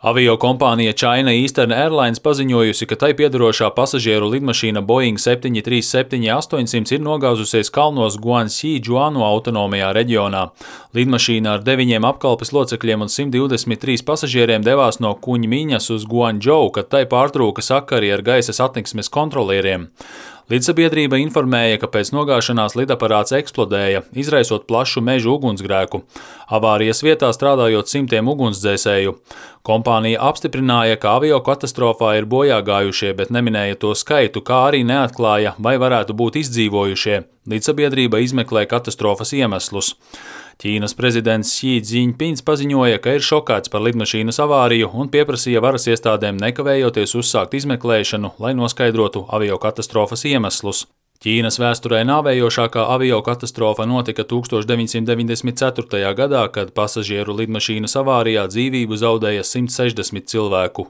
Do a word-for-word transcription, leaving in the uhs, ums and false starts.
Aviokompānija China Eastern Airlines paziņojusi, ka tai piederošā pasažieru lidmašīna Boeing septiņi trīs septiņi astoņsimt ir nogāzusies kalnos Guangxi Džuanu autonomajā reģionā. Lidmašīna ar deviņiem apkalpes locekļiem un simt divdesmit trīs pasažieriem devās no Kuņmiņas uz Guangdžou, kad tai pārtrūka sakari ar gaisa satiksmes kontrolieriem. Lidsabiedrība informēja, ka pēc nogāšanās lidaparāts eksplodēja, izraisot plašu mežu ugunsgrēku. Avārijas vietā strādājot simtiem ugunsdzēsēju. Kompānija apstiprināja, ka aviokatastrofā ir bojā gājušie, bet neminēja to skaitu, kā arī neatklāja, vai varētu būt izdzīvojušie. Lidsabiedrība izmeklē katastrofas iemeslus. Ķīnas prezidents Xi Jinpings paziņoja, ka ir šokēts par lidmašīnas avāriju un pieprasīja varas iestādēm nekavējoties uzsākt izmeklēšanu, lai noskaidrotu aviokatastrofas iemeslus. Ķīnas vēsturē nāvējošākā aviokatastrofa notika tūkstoš deviņsimt deviņdesmit ceturtajā gadā, kad pasažieru lidmašīnas avārijā dzīvību zaudēja simt sešdesmit cilvēku.